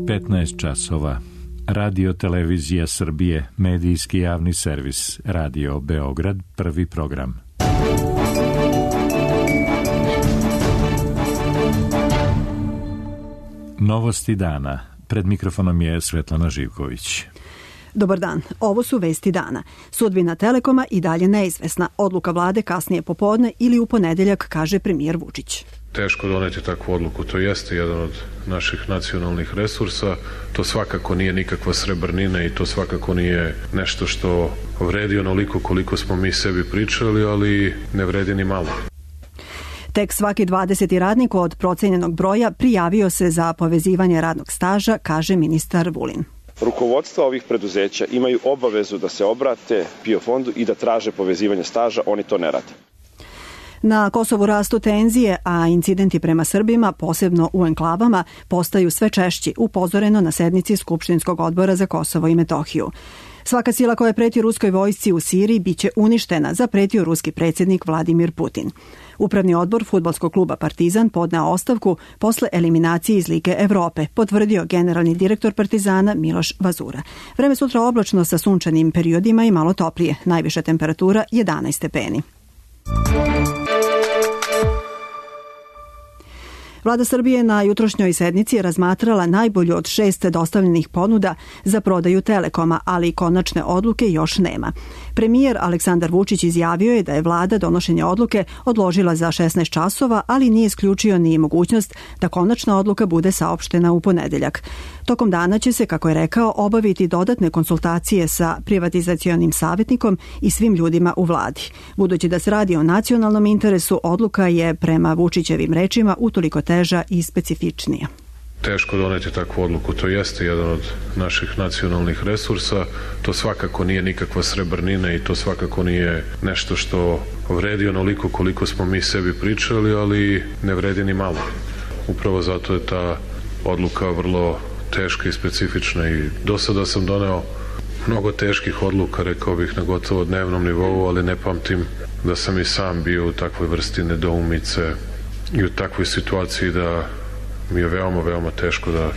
15 časova. Radio Televizija Srbije, medijski javni servis, Radio Beograd, prvi program. Novosti dana. Pred mikrofonom je Svetlana Živković. Dobar dan, ovo su vesti dana. Sudbina Telekoma i dalje neizvesna. Odluka vlade kasnije popodne ili u ponedeljak, kaže premijer Vučić. Teško doneti takvu odluku, to jeste jedan od naših nacionalnih resursa, to svakako nije nikakva srebrnina i to svakako nije nešto što vredi onoliko koliko smo mi sebi pričali, ali ne vredi ni malo. Tek svaki 20. radnik od procenjenog broja prijavio se za povezivanje radnog staža, kaže ministar Vulin. Rukovodstva ovih preduzeća imaju obavezu da se obrate PIO fondu i da traže povezivanje staža, oni to ne rade. Na Kosovu rastu tenzije, a incidenti prema Srbima, posebno u enklavama, postaju sve češći, upozoreno na sednici Skupštinskog odbora za Kosovo i Metohiju. Svaka sila koja preti ruskoj vojsci u Siriji biće uništena, zapretio ruski predsjednik Vladimir Putin. Upravni odbor fudbalskog kluba Partizan podneo ostavku posle eliminacije iz Lige Evrope, potvrdio generalni direktor Partizana Miloš Vazura. Vreme sutra oblačno sa sunčanim periodima i malo toplije, najviša temperatura 11 stepeni. Vlada Srbije na jutrošnjoj sednici je razmatrala najbolju od 6 dostavljenih ponuda za prodaju Telekoma, ali konačne odluke još nema. Premijer Aleksandar Vučić izjavio je da je vlada donošenje odluke odložila za 16 časova, ali nije isključio ni mogućnost da konačna odluka bude saopštena u ponedeljak. Tokom dana će se, kako je rekao, obaviti dodatne konsultacije sa privatizacionim savjetnikom i svim ljudima u vladi. Budući da se radi o nacionalnom interesu, odluka je prema Vučićevim rečima utoliko teža i specifičnija. Teško doneti takvu odluku, to jeste jedan od naših nacionalnih resursa, to svakako nije nikakva srebrnina i to svakako nije nešto što vredi onoliko koliko smo mi sebi pričali, ali ne vredi ni malo. Upravo zato je ta odluka vrlo teška i specifična i do sada sam doneo mnogo teških odluka, rekao bih, na gotovo dnevnom nivou, ali ne pamtim da sam i sam bio u takvoj vrsti nedoumice i u takvoj situaciji da mi je veoma, veoma teško da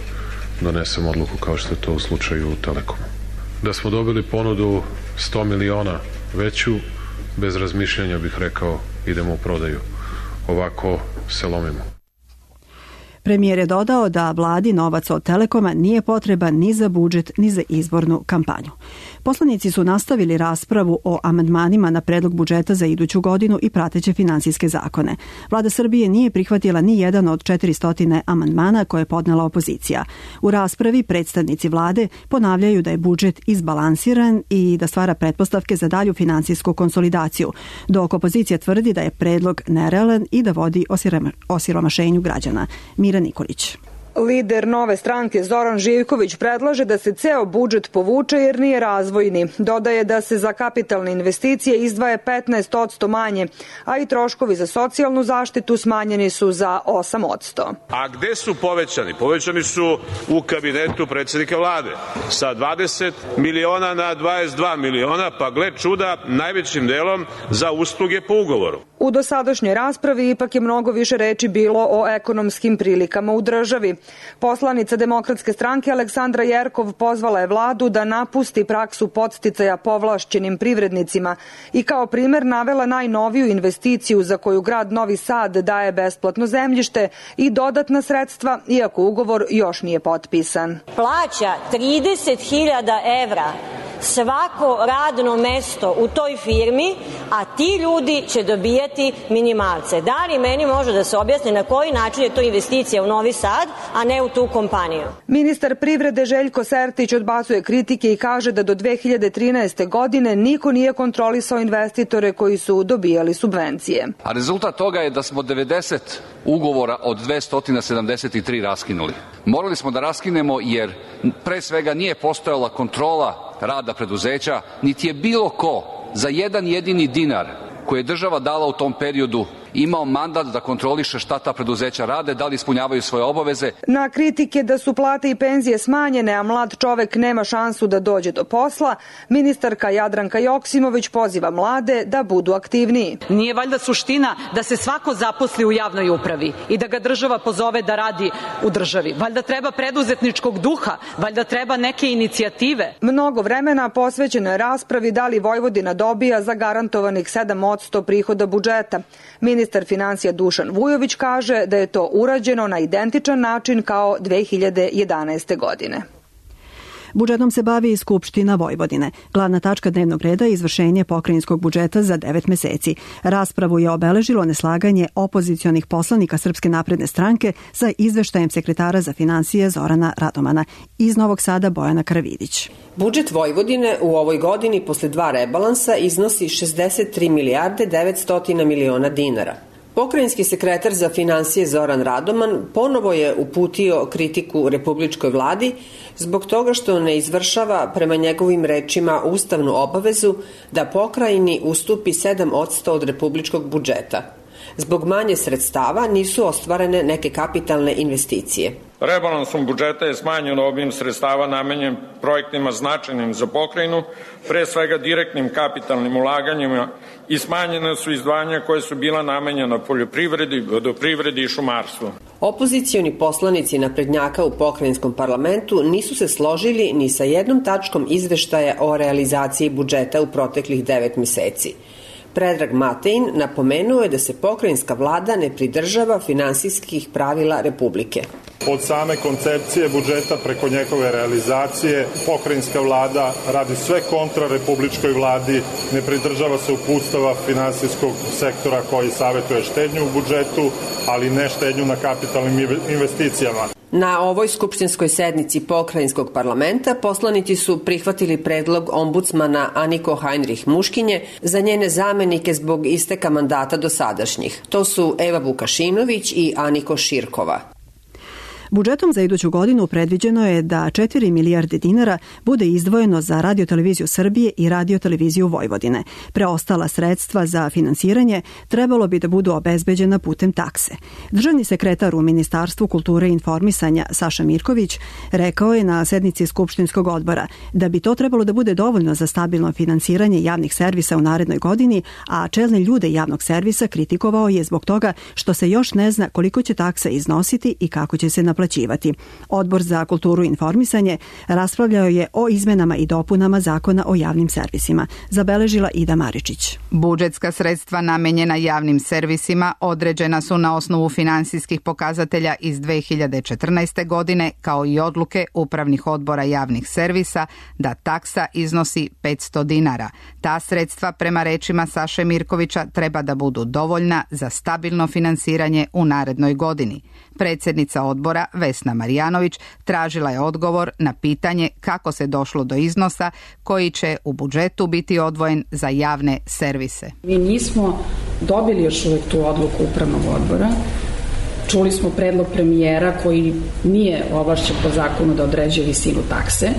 donesem odluku kao što je to u slučaju Telekoma. Da smo dobili ponudu 100 miliona veću, bez razmišljanja bih rekao idemo u prodaju. Ovako se lomimo. Premijer je dodao da vladi novac od Telekoma nije potreban ni za budžet, ni za izbornu kampanju. Poslanici su nastavili raspravu o amandmanima na predlog budžeta za iduću godinu i prateće finansijske zakone. Vlada Srbije nije prihvatila ni jedan od 400 amandmana koje je podnela opozicija. U raspravi predstavnici vlade ponavljaju da je budžet izbalansiran i da stvara pretpostavke za dalju finansijsku konsolidaciju, dok opozicija tvrdi da je predlog nerealan i da vodi osiromašenju građana. Mira Nikolić. Lider Nove stranke Zoran Živković predlaže da se ceo budžet povuče jer nije razvojni. Dodaje da se za kapitalne investicije izdvaja 15% manje, a i troškovi za socijalnu zaštitu smanjeni su za 8%. A gde su povećani? Povećani su u kabinetu predsjednika vlade sa 20 miliona na 22 miliona, pa gle čuda, najvećim delom za usluge po ugovoru. U dosadašnjoj raspravi ipak je mnogo više reči bilo o ekonomskim prilikama u državi. Poslanica Demokratske stranke Aleksandra Jerkov pozvala je vladu da napusti praksu podsticaja povlašćenim privrednicima i kao primer navela najnoviju investiciju za koju grad Novi Sad daje besplatno zemljište i dodatna sredstva, iako ugovor još nije potpisan. Plaća 30.000 evra svako radno mesto u toj firmi, a ti ljudi će dobijati minimalce. Da li meni može da se objasni na koji način je to investicija u Novi Sad, a ne u tu kompaniju? Ministar privrede Željko Sertić odbacuje kritike i kaže da do 2013. godine niko nije kontrolisao investitore koji su dobijali subvencije. A rezultat toga je da smo 90 ugovora od 273 raskinuli. Morali smo da raskinemo jer pre svega nije postojala kontrola rada preduzeća, niti je bilo ko za jedan jedini dinar koje je država dala u tom periodu imao mandat da kontroliše šta ta preduzeća rade, da li ispunjavaju svoje obaveze. Na kritike da su plate i penzije smanjene, a mlad čovek nema šansu da dođe do posla, ministarka Jadranka Joksimović poziva mlade da budu aktivniji. Nije valjda suština da se svako zaposli u javnoj upravi i da ga država pozove da radi u državi. Valjda treba preduzetničkog duha, valjda treba neke inicijative. Mnogo vremena posvećeno je raspravi da li Vojvodina dobija zagarantovanih 7% prihoda budžeta. Ministar finansija Dušan Vujović kaže da je to urađeno na identičan način kao 2011. godine. Budžetom se bavi i Skupština Vojvodine. Glavna tačka dnevnog reda je izvršenje pokrajinskog budžeta za 9 meseci. Raspravu je obeležilo neslaganje opozicionih poslanika Srpske napredne stranke sa izveštajem sekretara za finansije Zorana Radomana. Iz Novog Sada Bojana Karavidić. Budžet Vojvodine u ovoj godini posle 2 rebalansa iznosi 63 milijarde 900 miliona dinara. Pokrajinski sekretar za finansije Zoran Radoman ponovo je uputio kritiku republičkoj vladi zbog toga što ne izvršava prema njegovim rečima ustavnu obavezu da pokrajini ustupi 7% od republičkog budžeta. Zbog manje sredstava nisu ostvarene neke kapitalne investicije. Rebalansom budžeta je smanjen obim sredstava namenjen projektima značajnim za pokrajinu, pre svega direktnim kapitalnim ulaganjima, i smanjene su izdvajanja koje su bila namenjena poljoprivredi, vodoprivredi i šumarstvu. Opozicioni poslanici naprednjaka u pokrajinskom parlamentu nisu se složili ni sa jednom tačkom izveštaja o realizaciji budžeta u proteklih 9 meseci. Predrag Matein napomenuo je da se pokrajinska vlada ne pridržava finansijskih pravila Republike. Od same koncepcije budžeta preko njegove realizacije pokrajinska vlada radi sve kontra republičkoj vladi, ne pridržava se uputstava finansijskog sektora koji savjetuje štednju u budžetu, ali ne štednju na kapitalnim investicijama. Na ovoj skupštinskoj sednici pokrajinskog parlamenta poslanici su prihvatili predlog ombudsmana Aniko Heinrich Muškinje za njene zamenike zbog isteka mandata dosadašnjih. To su Eva Vukašinović i Aniko Širkova. Budžetom za iduću godinu predviđeno je da 4 milijarde dinara bude izdvojeno za Radio-televiziju Srbije i Radio-televiziju Vojvodine. Preostala sredstva za finansiranje trebalo bi da budu obezbeđena putem takse. Državni sekretar u Ministarstvu kulture i informisanja Saša Mirković rekao je na sednici Skupštinskog odbora da bi to trebalo da bude dovoljno za stabilno finansiranje javnih servisa u narednoj godini, a čelne ljude javnog servisa kritikovao je zbog toga što se još ne zna koliko će taksa iznositi i kako će se naplaćivati. Odbor za kulturu i informisanje raspravljao je o izmenama i dopunama Zakona o javnim servisima. Zabeležila Ida Maričić. Budžetska sredstva namenjena javnim servisima određena su na osnovu finansijskih pokazatelja iz 2014. godine, kao i odluke upravnih odbora javnih servisa da taksa iznosi 500 dinara. Ta sredstva, prema rečima Saše Mirkovića, treba da budu dovoljna za stabilno finansiranje u narednoj godini. Predsjednica odbora Vesna Marjanović tražila je odgovor na pitanje kako se došlo do iznosa koji će u budžetu biti odvojen za javne servise. Mi nismo dobili još uvijek tu odluku upravnog odbora. Čuli smo predlog premijera koji nije ovlašćen po zakonu da određuje visinu takse,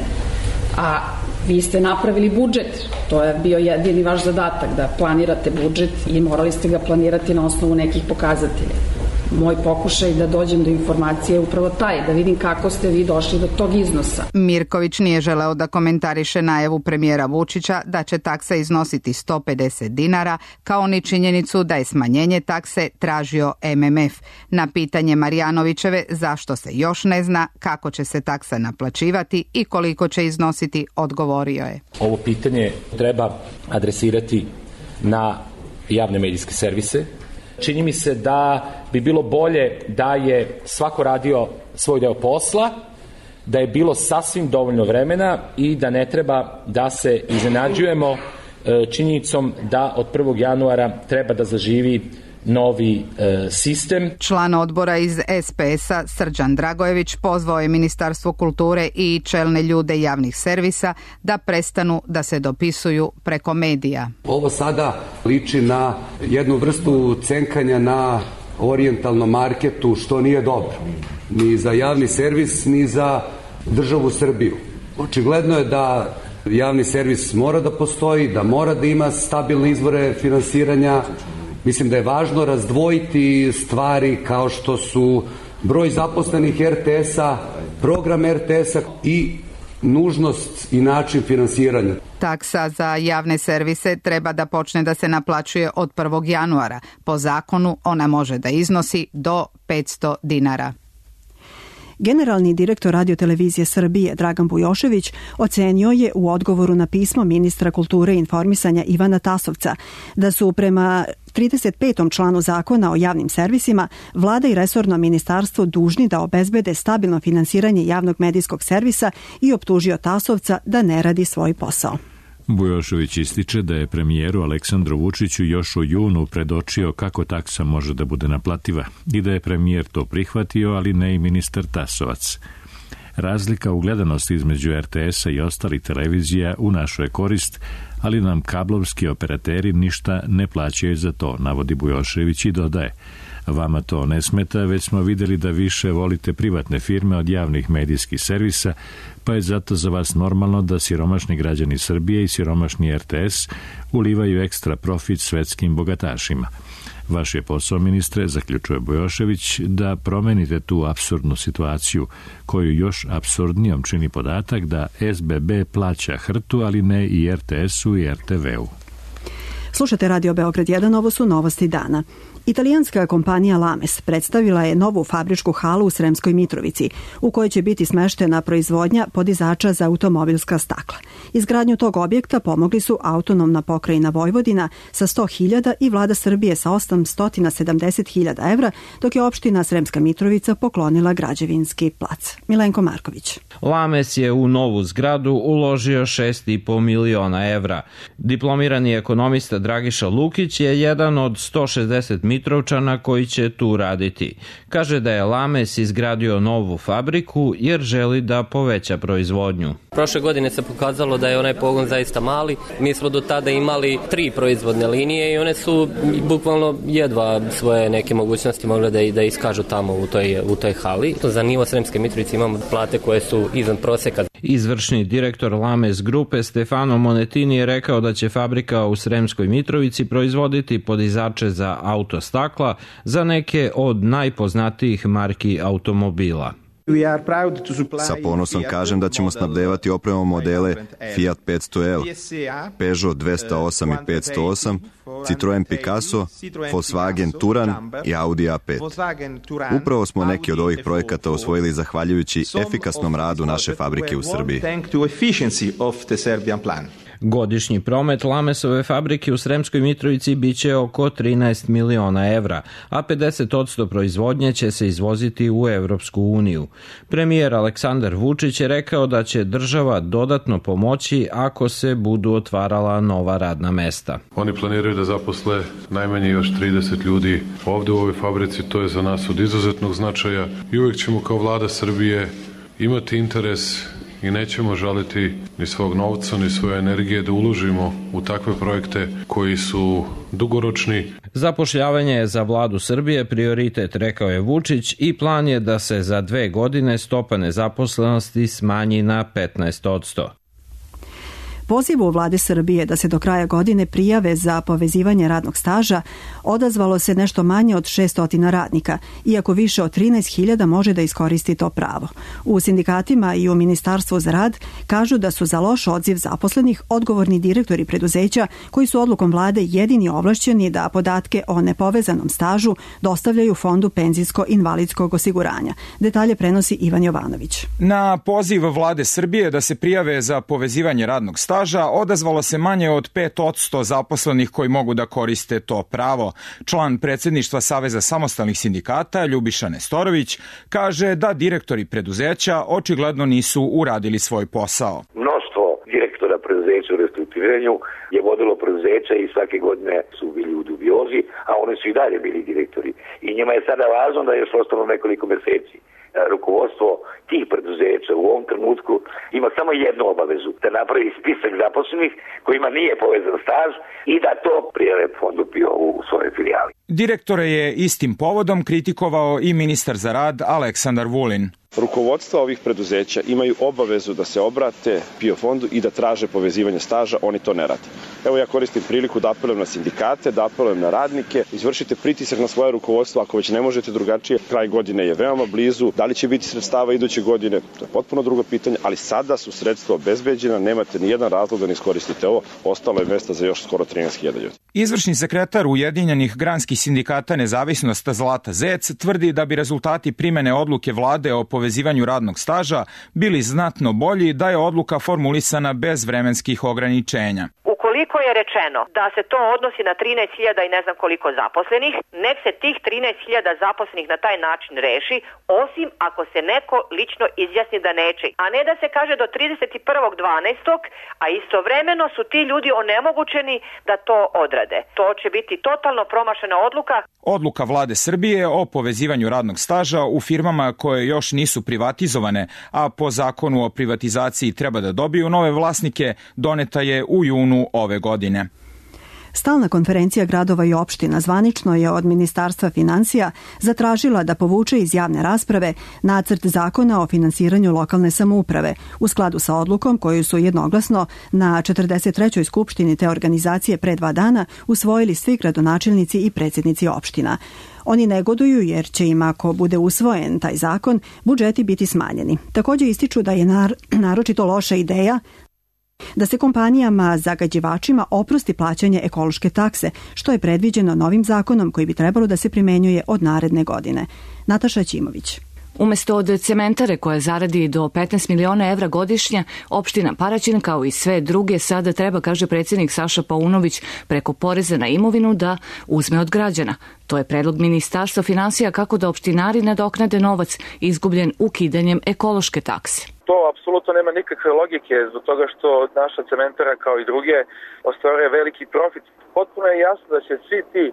a vi ste napravili budžet. To je bio jedini vaš zadatak, da planirate budžet i morali ste ga planirati na osnovu nekih pokazatelja. Moj pokušaj da dođem do informacije je upravo taj, da vidim kako ste vi došli do tog iznosa. Mirković nije želeo da komentariše najavu premijera Vučića da će taksa iznositi 150 dinara, kao ni činjenicu da je smanjenje takse tražio MMF. Na pitanje Marjanovićeve zašto se još ne zna kako će se taksa naplaćivati i koliko će iznositi, odgovorio je. Ovo pitanje treba adresirati na javne medijske servise. Čini mi se da bi bilo bolje da je svako radio svoj deo posla, da je bilo sasvim dovoljno vremena i da ne treba da se iznenađujemo činjenicom da od 1. januara treba da zaživi novi sistem. Član odbora iz SPS-a Srđan Dragojević pozvao je Ministarstvo kulture i čelne ljude javnih servisa da prestanu da se dopisuju preko medija. Ovo sada liči na jednu vrstu cenkanja na orijentalnom marketu, što nije dobro. Ni za javni servis, ni za državu Srbiju. Očigledno je da javni servis mora da postoji, da mora da ima stabilne izvore finansiranja. Mislim da je važno razdvojiti stvari kao što su broj zaposlenih RTS-a, program RTS-a i nužnost i način finansiranja. Taksa za javne servise treba da počne da se naplaćuje od 1. januara. Po zakonu ona može da iznosi do 500 dinara. Generalni direktor Radiotelevizije Srbije Dragan Bujošević ocenio je u odgovoru na pismo ministra kulture i informisanja Ivana Tasovca da su prema 35. članu zakona o javnim servisima vlada i resorno ministarstvo dužni da obezbede stabilno finansiranje javnog medijskog servisa i optužio Tasovca da ne radi svoj posao. Bujošević ističe da je premijeru Aleksandru Vučiću još u junu predočio kako taksa može da bude naplativa i da je premijer to prihvatio, ali ne i ministar Tasovac. Razlika u gledanosti između RTS-a i ostalih televizija u našoj korist, ali nam kablovski operateri ništa ne plaćaju za to, navodi Bujošević i dodaje: vama to ne smeta, već smo videli da više volite privatne firme od javnih medijskih servisa, pa je zato za vas normalno da siromašni građani Srbije i siromašni RTS ulivaju ekstra profit svetskim bogatašima. Vaš je posao, ministre, zaključuje Bujošević, da promenite tu apsurdnu situaciju, koju još apsurdnijom čini podatak da SBB plaća HRT-u, ali ne i RTS-u i RTV-u. Slušate Radio Beograd 1, ovo su novosti dana. Italijanska kompanija Lames predstavila je novu fabričku halu u Sremskoj Mitrovici, u kojoj će biti smeštena proizvodnja podizača za automobilska stakla. Izgradnju tog objekta pomogli su autonomna pokrajina Vojvodina sa 100.000 i vlada Srbije sa 870.000 evra, dok je opština Sremska Mitrovica poklonila građevinski plac. Milenko Marković. Lames je u novu zgradu uložio 6,5 miliona evra. Diplomirani ekonomista Dragiša Lukić je jedan od 160 Mitrovčana koji će tu raditi. Kaže da je Lames izgradio novu fabriku jer želi da poveća proizvodnju. Prošle godine se pokazalo da je onaj pogon zaista mali. Mi smo do tada imali 3 proizvodne linije i one su bukvalno jedva svoje neke mogućnosti mogle da iskažu tamo u toj hali. Za nivo Sremske Mitrovice imamo plate koje su izvan proseka. Izvršni direktor Lames grupe Stefano Monetini je rekao da će fabrika u Sremskoj Mitrovici proizvoditi podizače za autostakla za neke od najpoznatijih marki automobila. Sa ponosom kažem da ćemo snabdevati opremom modele Fiat 500L, Peugeot 208 i 508, Citroen Picasso, Volkswagen Touran i Audi A5. Upravo smo neki od ovih projekata osvojili zahvaljujući efikasnom radu naše fabrike u Srbiji. Godišnji promet Lamesove fabrike u Sremskoj Mitrovici biće oko 13 miliona evra, a 50% proizvodnje će se izvoziti u Evropsku uniju. Premijer Aleksandar Vučić je rekao da će država dodatno pomoći ako se budu otvarala nova radna mesta. Oni planiraju da zaposle najmanje još 30 ljudi ovde u ovoj fabrici, to je za nas od izuzetnog značaja i uvijek ćemo kao vlada Srbije imati interes i nećemo žaliti ni svog novca, ni svoje energije da uložimo u takve projekte koji su dugoročni. Zapošljavanje je za vladu Srbije prioritet, rekao je Vučić, i plan je da se za 2 godine stopa nezaposlenosti smanji na 15%. Pozivu vlade Srbije da se do kraja godine prijave za povezivanje radnog staža odazvalo se nešto manje od 600 radnika, iako više od 13.000 može da iskoristi to pravo. U sindikatima i u Ministarstvu za rad kažu da su za loš odziv zaposlenih odgovorni direktori preduzeća koji su odlukom vlade jedini ovlašćeni da podatke o nepovezanom stažu dostavljaju Fondu penzijsko-invalidskog osiguranja. Detalje prenosi Ivan Jovanović. Na poziv vlade Srbije da se prijave za povezivanje radnog staža odazvalo se manje od 5% zaposlenih koji mogu da koriste to pravo. Član predsjedništva Saveza samostalnih sindikata Ljubiša Nestorović kaže da direktori preduzeća očigledno nisu uradili svoj posao. Mnoštvo direktora preduzeća u restrukturiranju je vodilo preduzeća i svake godine su bili u dubiozi, a oni su i dalje bili direktori. I njima je sada važno da je još ostalo nekoliko meseci. Rukovodstvo tih preduzeća u ovom trenutku ima samo jednu obavezu, da napravi spisak zaposlenih kojima nije povezan staž i da to prijave Fondu PIO u svojoj filijali. Direktore je istim povodom kritikovao i ministar za rad Aleksandar Vulin. Rukovodstva ovih preduzeća imaju obavezu da se obrate PIO fondu i da traže povezivanje staža, oni to ne rade. Evo ja koristim priliku da apelujem na sindikate, da apelujem na radnike, izvršite pritisak na svoje rukovodstvo ako već ne možete drugačije. Kraj godine je veoma blizu, da li će biti sredstava iduće godine, to je potpuno drugo pitanje, ali sada su sredstva obezbeđena, nemate ni jedan razlog da ne iskoristite ovo, ostalo je mesta za još skoro 13.000 ljudi. Izvršni sekretar Ujedinjenih granskih sindikata Nezavisnost Zlata Zec tvrdi da bi rezultati primene odluke vlade o povezivanju radnog staža bili znatno bolji da je odluka formulisana bez vremenskih ograničenja. Ukoliko je rečeno da se to odnosi na 13.000 i ne znam koliko zaposlenih, nek se tih 13.000 zaposlenih na taj način reši, osim ako se neko lično izjasni da neće. A ne da se kaže do 31.12., a istovremeno su ti ljudi onemogućeni da to odrade. To će biti totalno promašena odluka. Odluka vlade Srbije o povezivanju radnog staža u firmama koje još nisu privatizovane, a po zakonu o privatizaciji treba da dobiju nove vlasnike, doneta je u junu ove godine. Stalna konferencija gradova i opština zvanično je od Ministarstva finansija zatražila da povuče iz javne rasprave nacrt zakona o finansiranju lokalne samouprave u skladu sa odlukom koju su jednoglasno na 43. skupštini te organizacije pre 2 dana usvojili svi gradonačelnici i predsjednici opština. Oni negoduju jer će im, ako bude usvojen taj zakon, budžeti biti smanjeni. Također ističu da je naročito loša ideja da se kompanijama zagađivačima oprosti plaćanje ekološke takse, što je predviđeno novim zakonom koji bi trebalo da se primenjuje od naredne godine. Nataša Ćimović. Umesto od cementare koja zaradi do 15 miliona evra godišnje, opština Paraćin kao i sve druge sada treba, kaže predsjednik Saša Paunović, preko poreza na imovinu da uzme od građana. To je predlog Ministarstva finansija kako da opštinari nadoknade novac izgubljen ukidanjem ekološke takse. To apsolutno nema nikakve logike zbog toga što naša cementara kao i druge ostvaruje veliki profit. Potpuno je jasno da će svi ti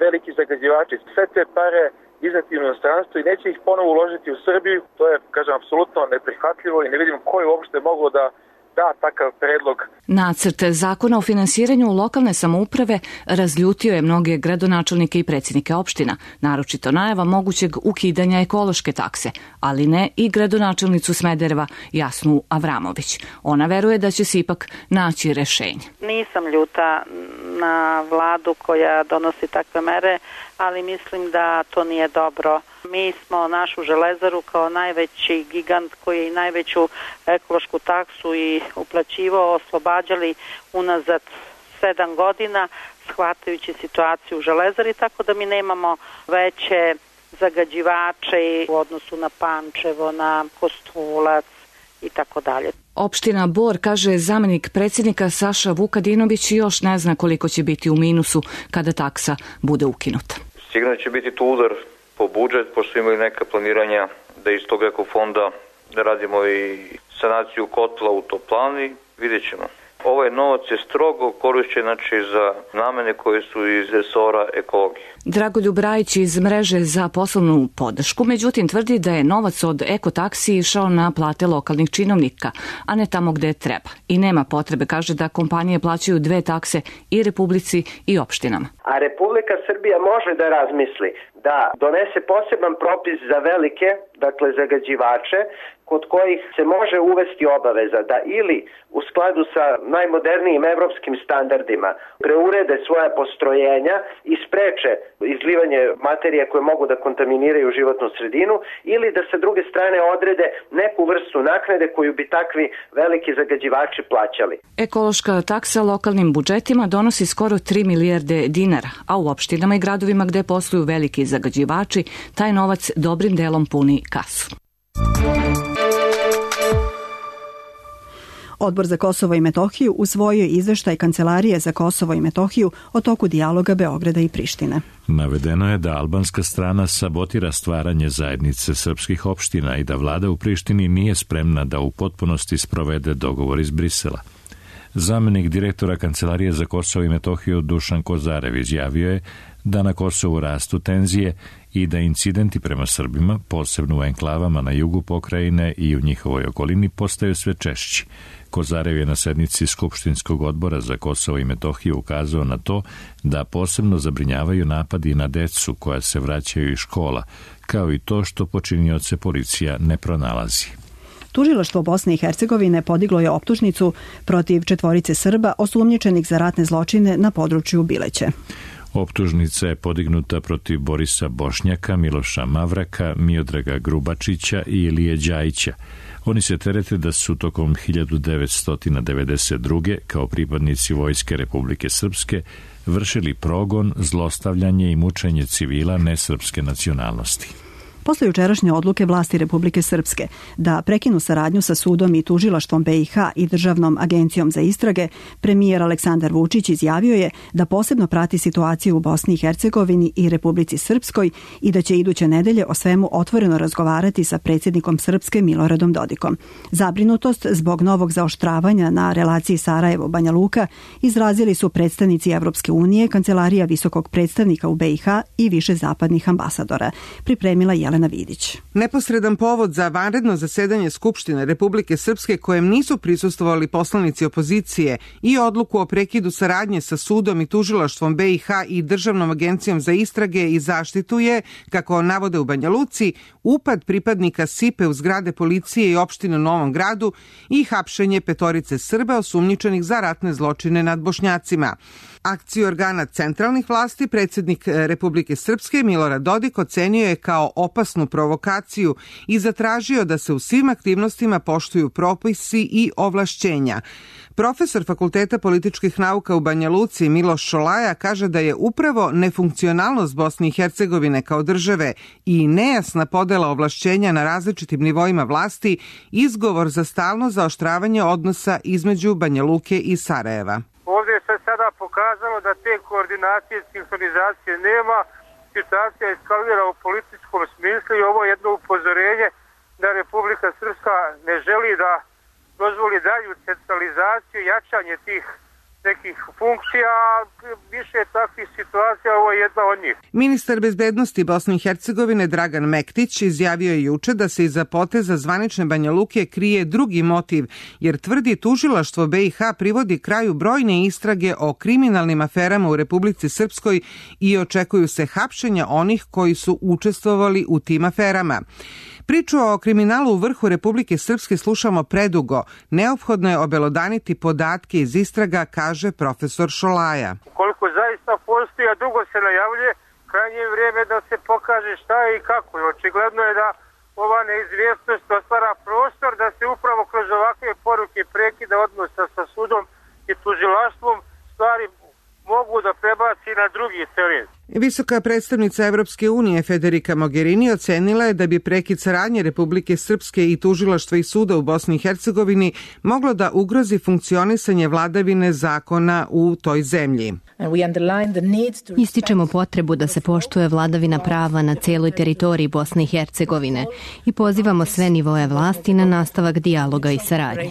veliki zagađivači sve te pare izneti u inostranstvo i neće ih ponovo uložiti u Srbiju. To je, kažem, apsolutno neprihvatljivo i ne vidim ko je uopšte moglo da takav predlog. Nacrt zakona o finansiranju lokalne samouprave razljutio je mnoge gradonačelnike i predsjednike opština, naročito najava mogućeg ukidanja ekološke takse, ali ne i gradonačelnicu Smedereva Jasnu Avramović. Ona veruje da će se ipak naći rešenje. Nisam ljuta na vladu koja donosi takve mere, ali mislim da to nije dobro. Mi smo našu železaru kao najveći gigant koji je i najveću ekološku taksu i uplaćivao oslobađali unazad 7 godina, shvatajući situaciju u železari, tako da mi nemamo veće zagađivače u odnosu na Pančevo, na Kostolac i tako dalje. Opština Bor, kaže zamenik predsjednika Saša Vukadinović, još ne zna koliko će biti u minusu kada taksa bude ukinuta. Sigurno će biti tu udar po budžet, pošto imaju neka planiranja da iz tog ekofonda da radimo i sanaciju kotla u toplani, vidjet ćemo. Ovaj novac je strogo korišćen za namene koje su iz resora ekologije. Dragoljub Rajić iz mreže za poslovnu podršku, međutim tvrdi da je novac od ekotaksi išao na plate lokalnih činovnika, a ne tamo gde treba. I nema potrebe, kaže, da kompanije plaćaju 2 takse i Republici i opštinama. A Republika Srbija može da razmisli da donese poseban propis za velike, dakle zagađivače, kod kojih se može uvesti obaveza da ili u skladu sa najmodernijim evropskim standardima preurede svoja postrojenja i spreče izlivanje materija koje mogu da kontaminiraju životnu sredinu, ili da sa druge strane odrede neku vrstu naknade koju bi takvi veliki zagađivači plaćali. Ekološka taksa lokalnim budžetima donosi skoro 3 milijarde dinara, a u opštinama i gradovima gde posluju veliki zagađivači, taj novac dobrim delom puni kasu. Odbor za Kosovo i Metohiju usvojio izveštaj Kancelarije za Kosovo i Metohiju o toku dijaloga Beograda i Prištine. Navedeno je da albanska strana sabotira stvaranje zajednice srpskih opština i da vlada u Prištini nije spremna da u potpunosti sprovede dogovor iz Brisela. Zamenik direktora Kancelarije za Kosovo i Metohiju Dušan Kozarev izjavio je da na Kosovu rastu tenzije i da incidenti prema Srbima, posebno u enklavama na jugu pokrajine i u njihovoj okolini, postaju sve češći. Kozarev je na sednici Skupštinskog odbora za Kosovo i Metohiju ukazao na to da posebno zabrinjavaju napadi na decu koja se vraćaju iz škola, kao i to što počinioce policija ne pronalazi. Tužilaštvo Bosne i Hercegovine podiglo je optužnicu protiv 4 Srba osumnjičenih za ratne zločine na području Bileće. Optužnica je podignuta protiv Borisa Bošnjaka, Miloša Mavraka, Miodraga Grubačića i Ilije Đajića. Oni se terete da su tokom 1992. kao pripadnici Vojske Republike Srpske vršili progon, zlostavljanje i mučenje civila nesrpske nacionalnosti. Posle jučerašnje odluke vlasti Republike Srpske da prekinu saradnju sa sudom i tužilaštvom BiH i Državnom agencijom za istrage, premijer Aleksandar Vučić izjavio je da posebno prati situaciju u Bosni i Hercegovini i Republici Srpskoj i da će iduće nedelje o svemu otvoreno razgovarati sa predsjednikom Srpske Miloradom Dodikom. Zabrinutost zbog novog zaoštravanja na relaciji Sarajevo-Banja Luka izrazili su predstavnici Evropske unije, Kancelarija visokog predstavnika u BiH i više zapadnih ambasadora. Pripremila Jelena Vidić. Neposredan povod za vanredno zasedanje Skupštine Republike Srpske kojem nisu prisustvovali poslanici opozicije i odluku o prekidu saradnje sa sudom i tužilaštvom BiH i Državnom agencijom za istrage i zaštitu je, kako navode u Banja Luci, upad pripadnika SIPE u zgrade policije i opštine u Novom Gradu i hapšenje 5 Srba osumnjičenih za ratne zločine nad Bošnjacima. Akciju organa centralnih vlasti predsjednik Republike Srpske Milorad Dodik ocenio je kao opasnu provokaciju i zatražio da se u svim aktivnostima poštuju propisi i ovlašćenja. Profesor Fakulteta političkih nauka u Banja Luci Miloš Šolaja kaže da je upravo nefunkcionalnost Bosne i Hercegovine kao države i nejasna podela ovlašćenja na različitim nivoima vlasti izgovor za stalno zaoštravanje odnosa između Banja Luke i Sarajeva. Ovdje se sada pokazalo da te koordinacije i sinhronizacije nema, situacija eskalira u političkom smislu i ovo je jedno upozorenje da Republika Srpska ne želi da dozvoli dalju centralizaciju, jačanje tih nekih funkcija, više takvih situacija, ovo je jedna od njih. Ministar bezbednosti Bosne i Hercegovine Dragan Mektić izjavio je juče da se iza poteza zvanične Banja Luke krije drugi motiv, jer tvrdi tužilaštvo BiH privodi kraju brojne istrage o kriminalnim aferama u Republici Srpskoj i očekuju se hapšenja onih koji su učestvovali u tim aferama. Priču o kriminalu u vrhu Republike Srpske slušamo predugo. Neophodno je obelodaniti podatke iz istraga, kaže profesor Šolaja. Ukoliko zaista postoji, a dugo se najavljuje, krajnje je vrijeme da se pokaže šta je i kako. Očigledno je da ova neizvjesnost otvara prostor da se upravo kroz ovakve poruke prekida odnosa sa sudom i tužilaštvom stvari mogu da prebaci na drugi teren. Visoka predstavnica Evropske unije Federica Mogherini ocenila je da bi prekid saradnje Republike Srpske i tužilaštva i suda u Bosni i Hercegovini moglo da ugrozi funkcionisanje vladavine zakona u toj zemlji. Ističemo potrebu da se poštuje vladavina prava na cijeloj teritoriji Bosne i Hercegovine i pozivamo sve nivoe vlasti na nastavak dijaloga i saradnje.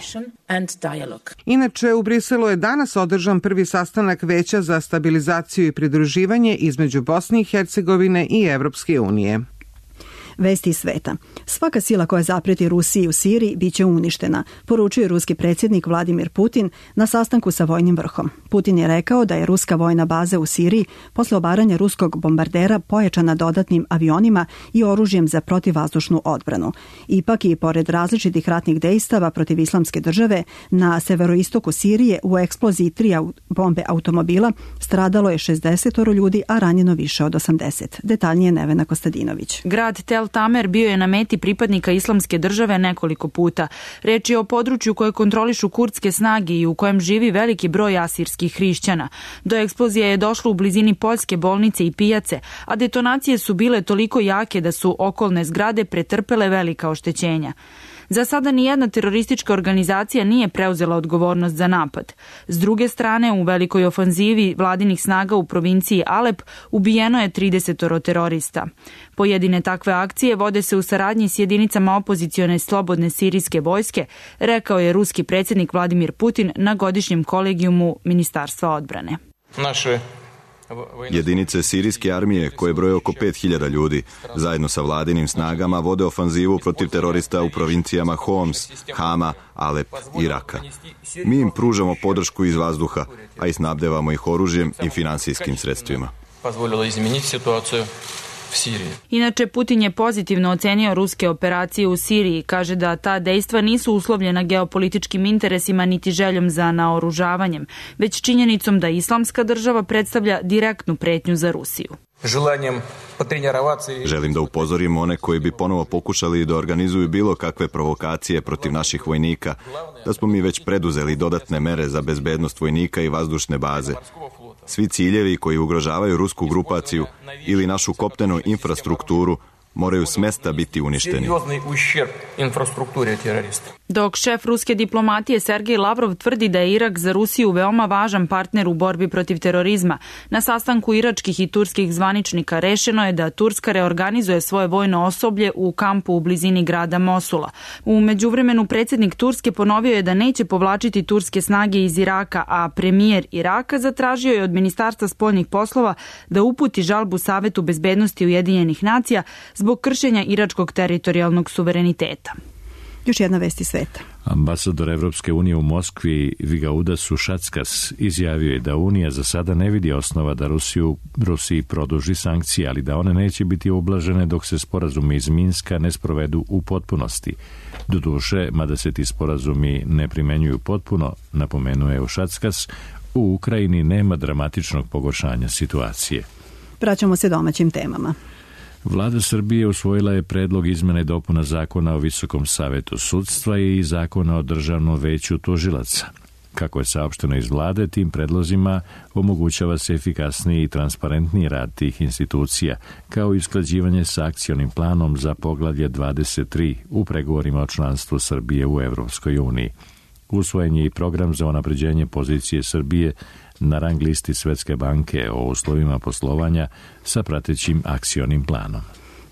Inače, u Briselu je danas održan prvi sastanak Veća za stabilizaciju i pridruživanje između Bosne i Hercegovine i Evropske unije. Vesti sveta. Svaka sila koja zapreti Rusiji u Siriji biće uništena, poručuje ruski predsjednik Vladimir Putin na sastanku sa vojnim vrhom. Putin je rekao da je ruska vojna baza u Siriji posle obaranja ruskog bombardera pojačana dodatnim avionima i oružjem za protivvazdušnu odbranu. Ipak i pored različitih ratnih dejstava protiv islamske države, na severoistoku Sirije u eksploziji 3 bombe automobila stradalo je 60 ljudi, a ranjeno više od 80. Detaljnije Nevena Kostadinović. Grad Tel Tamer bio je na meti pripadnika islamske države nekoliko puta. Reč je o području koje kontrolišu kurdske snage i u kojem živi veliki broj asirskih hrišćana. Do eksplozije je došlo u blizini poljske bolnice i pijace, a detonacije su bile toliko jake da su okolne zgrade pretrpele velika oštećenja. Za sada nijedna teroristička organizacija nije preuzela odgovornost za napad. S druge strane, u velikoj ofanzivi vladinih snaga u provinciji Alep ubijeno je 30 terorista. Pojedine takve akcije vode se u saradnji s jedinicama opozicione slobodne sirijske vojske, rekao je ruski predsjednik Vladimir Putin na godišnjem kolegijumu Ministarstva odbrane. Naše Jedinice sirijske armije, koje broje oko 5000 ljudi, zajedno sa vladinim snagama vode ofanzivu protiv terorista u provincijama Homs, Hama, Alep i Raka. Mi im pružamo podršku iz vazduha, a i snabdevamo ih oružjem i finansijskim sredstvima. Inače, Putin je pozitivno ocenio ruske operacije u Siriji. Kaže da ta dejstva nisu uslovljena geopolitičkim interesima niti željom za naoružavanjem, već činjenicom da Islamska država predstavlja direktnu pretnju za Rusiju. Želim da upozorim one koji bi ponovo pokušali da organizuju bilo kakve provokacije protiv naših vojnika, da smo mi već preduzeli dodatne mere za bezbednost vojnika i vazdušne baze. Svi ciljevi koji ugrožavaju rusku grupaciju ili našu kopnenu infrastrukturu moraju s mesta biti uništeni. Dok šef ruske diplomatije Sergej Lavrov tvrdi da je Irak za Rusiju veoma važan partner u borbi protiv terorizma, na sastanku iračkih i turskih zvaničnika rešeno je da Turska reorganizuje svoje vojno osoblje u kampu u blizini grada Mosula. U međuvremenu predsjednik Turske ponovio je da neće povlačiti turske snage iz Iraka, a premijer Iraka zatražio je od Ministarstva spoljnih poslova da uputi žalbu Savetu bezbednosti Ujedinjenih nacija zbog kršenja iračkog teritorijalnog suvereniteta. Još jedna vest iz sveta. Ambasador Evropske unije u Moskvi Vigaudas Ušackas izjavio je da Unija za sada ne vidi osnova da Rusiji produži sankcije, ali da one neće biti ublažene dok se sporazumi iz Minska ne sprovedu u potpunosti. Doduše, mada se ti sporazumi ne primenjuju potpuno, napomenuo je Ušackas, u Ukrajini nema dramatičnog pogoršanja situacije. Vraćamo se domaćim temama. Vlada Srbije usvojila je predlog izmene i dopuna Zakona o Visokom savetu sudstva i Zakona o Državnom veću tužilaca. Kako je saopšteno iz vlade, tim predlozima omogućava se efikasniji i transparentniji rad tih institucija, kao i usklađivanje sa akcionim planom za poglavlje 23 u pregovorima o članstvu Srbije u Evropskoj uniji. Usvojen je i program za unapređenje pozicije Srbije na rang listi Svetske banke o uslovima poslovanja sa pratećim akcionim planom.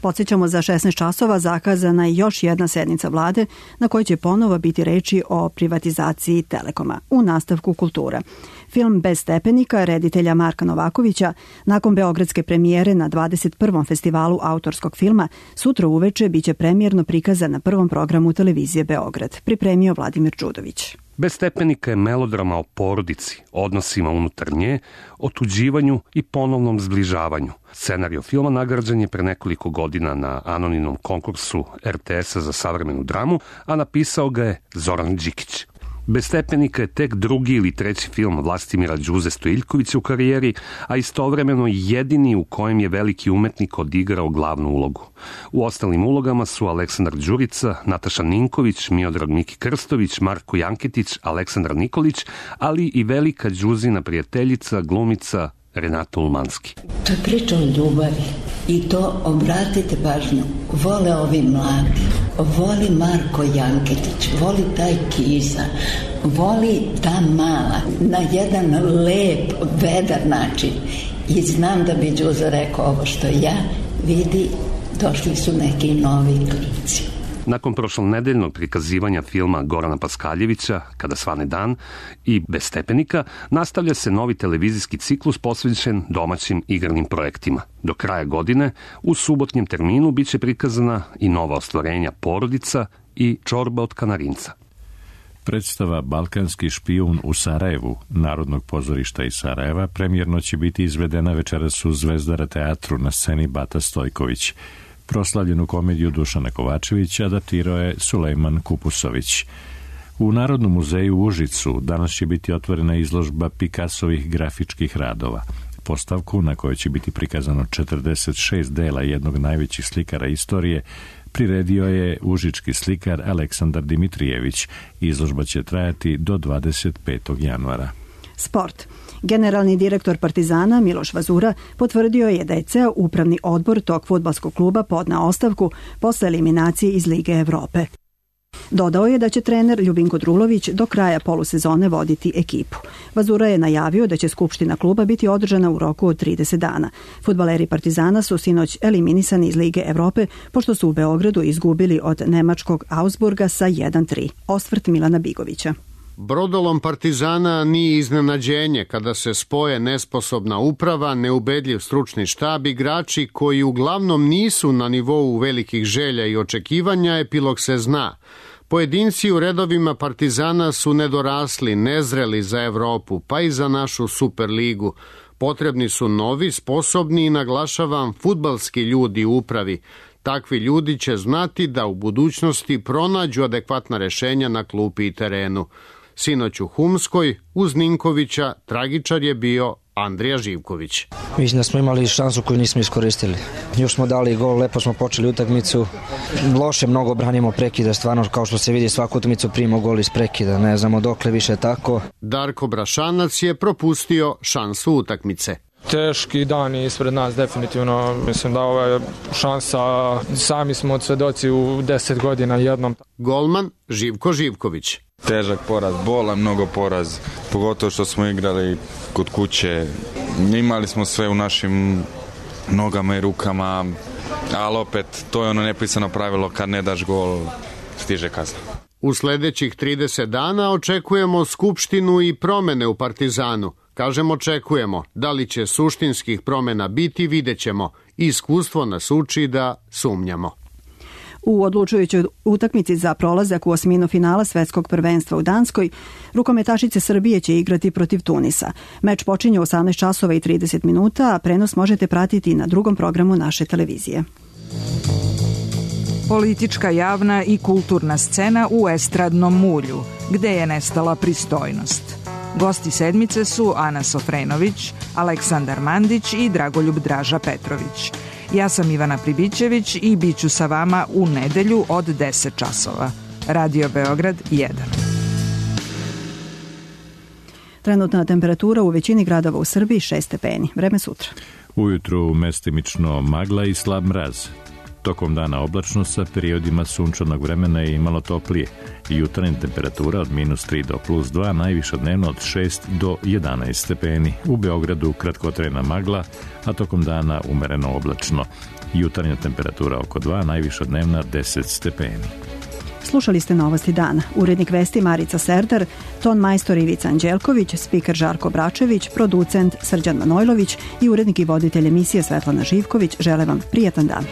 Podsjećamo, za 16 časova zakazana je još jedna sednica vlade na kojoj će ponovo biti reči o privatizaciji Telekoma. U nastavku kultura. Film Bez stepenika reditelja Marka Novakovića nakon beogradske premijere na 21. festivalu autorskog filma sutra uveče biće premijerno prikazan na prvom programu televizije Beograd. Pripremio Vladimir Đudović. Bez stepenika je melodrama o porodici, odnosima unutar nje, otuđivanju i ponovnom zbližavanju. Scenario filma nagrađen je pre nekoliko godina na anonimnom konkursu RTS-a za savremenu dramu, a napisao ga je Zoran Đikić. Bez stepenika je tek drugi ili treći film Vlastimira Đuze Stojiljkovića u karijeri, a istovremeno jedini u kojem je veliki umetnik odigrao glavnu ulogu. U ostalim ulogama su Aleksandar Đurica, Nataša Ninković, Miodrag Miki Krstović, Marko Janketić, Aleksandar Nikolić, ali i velika Đuzina prijateljica, glumica Renata Ulmanski. To je priča o ljubavi i to, obratite pažnju, vole ovi mladi, voli Marko Janketić, voli taj Kiza, voli ta mala, na jedan lep, vedar način. I znam da bi Đuza rekao ovo što ja, vidi, došli su neki novi klinci. Nakon prošlonedeljnog prikazivanja filma Gorana Paskaljevića, Kada svane dan i Bez stepenika, nastavlja se novi televizijski ciklus posvećen domaćim igranim projektima. Do kraja godine, u subotnjem terminu, biće prikazana i nova ostvarenja Porodica i Čorba od Kanarinca. Predstava Balkanski špijun u Sarajevu, Narodnog pozorišta iz Sarajeva, premijerno će biti izvedena večeras u Zvezdara teatru na sceni Bata Stojković. Proslavljenu komediju Dušana Kovačevića adaptirao je Sulejman Kupusović. U Narodnom muzeju u Užicu danas će biti otvorena izložba Picassovih grafičkih radova. Postavku, na kojoj će biti prikazano 46 dela jednog najvećih slikara istorije, priredio je užički slikar Aleksandar Dimitrijević. Izložba će trajati do 25. januara. Sport. Generalni direktor Partizana Miloš Vazura potvrdio je da je ceo upravni odbor tog fudbalskog kluba podneo ostavku posle eliminacije iz Lige Evrope. Dodao je da će trener Ljubinko Drulović do kraja polusezone voditi ekipu. Vazura je najavio da će skupština kluba biti održana u roku od 30 dana. Fudbaleri Partizana su sinoć eliminisani iz Lige Evrope pošto su u Beogradu izgubili od nemačkog Augsburga sa 1-3. Osvrt Milana Bigovića. Brodolom Partizana nije iznenađenje kada se spoje nesposobna uprava, neubedljiv stručni štab, igrači koji uglavnom nisu na nivou velikih želja i očekivanja, epilog se zna. Pojedinci u redovima Partizana su nedorasli, nezreli za Evropu, pa i za našu Superligu. Potrebni su novi, sposobni i, naglašavam, fudbalski ljudi u upravi. Takvi ljudi će znati da u budućnosti pronađu adekvatna rešenja na klupi i terenu. Sinoć u Humskoj, uz Ninkovića, tragičar je bio Andrija Živković. Mislim da smo imali šansu koju nismo iskoristili. Još smo dali gol, lepo smo počeli utakmicu. Loše mnogo branimo prekida, stvarno kao što se vidi svaku utakmicu primimo gol iz prekida. Ne znamo dokle više tako. Darko Brašanac je propustio šansu utakmice. Teški dan ispred nas, definitivno. Mislim da ova je šansa, sami smo od svedoci u 10 godina jednom. Golman Živko Živković. Težak poraz, bolan mnogo poraz, pogotovo što smo igrali kod kuće. Imali smo sve u našim nogama i rukama, ali opet to je ono nepisano pravilo, kad ne daš gol, stiže kazna. U sledećih 30 dana očekujemo skupštinu i promene u Partizanu. Kažem očekujemo, da li će suštinskih promena biti, vidjet ćemo. Iskustvo nas uči da sumnjamo. U odlučujućoj utakmici za prolazak u osminu finala svetskog prvenstva u Danskoj, rukometašice Srbije će igrati protiv Tunisa. Meč počinje u 18 časova i 30 minuta, a prenos možete pratiti na drugom programu naše televizije. Politička, javna i kulturna scena u estradnom mulju, gde je nestala pristojnost. Gosti sedmice su Ana Sofrenović, Aleksandar Mandić i Dragoljub Draža Petrović. Ja sam Ivana Pribićević i bit ću sa vama u nedelju od 10 časova. Radio Beograd 1. Trenutna temperatura u većini gradova u Srbiji 6 stepeni. Vreme sutra. Ujutru mestimično magla i slab mraz. Tokom dana oblačno sa periodima sunčanog vremena i malo toplije. Jutarnja temperatura od -3 do +2, najviša dnevno od 6 do 11 stepeni. U Beogradu kratkotrajna magla, a tokom dana umereno oblačno. Jutarnja temperatura oko 2, najviša dnevna 10 stepeni. Slušali ste Novosti dana. Urednik vesti Marica Serdar, ton majstor Ivica Anđelković, spiker Žarko Bračević, producent Srđan Manojlović i urednik i voditelj emisije Svetlana Živković žele vam prijatan dan.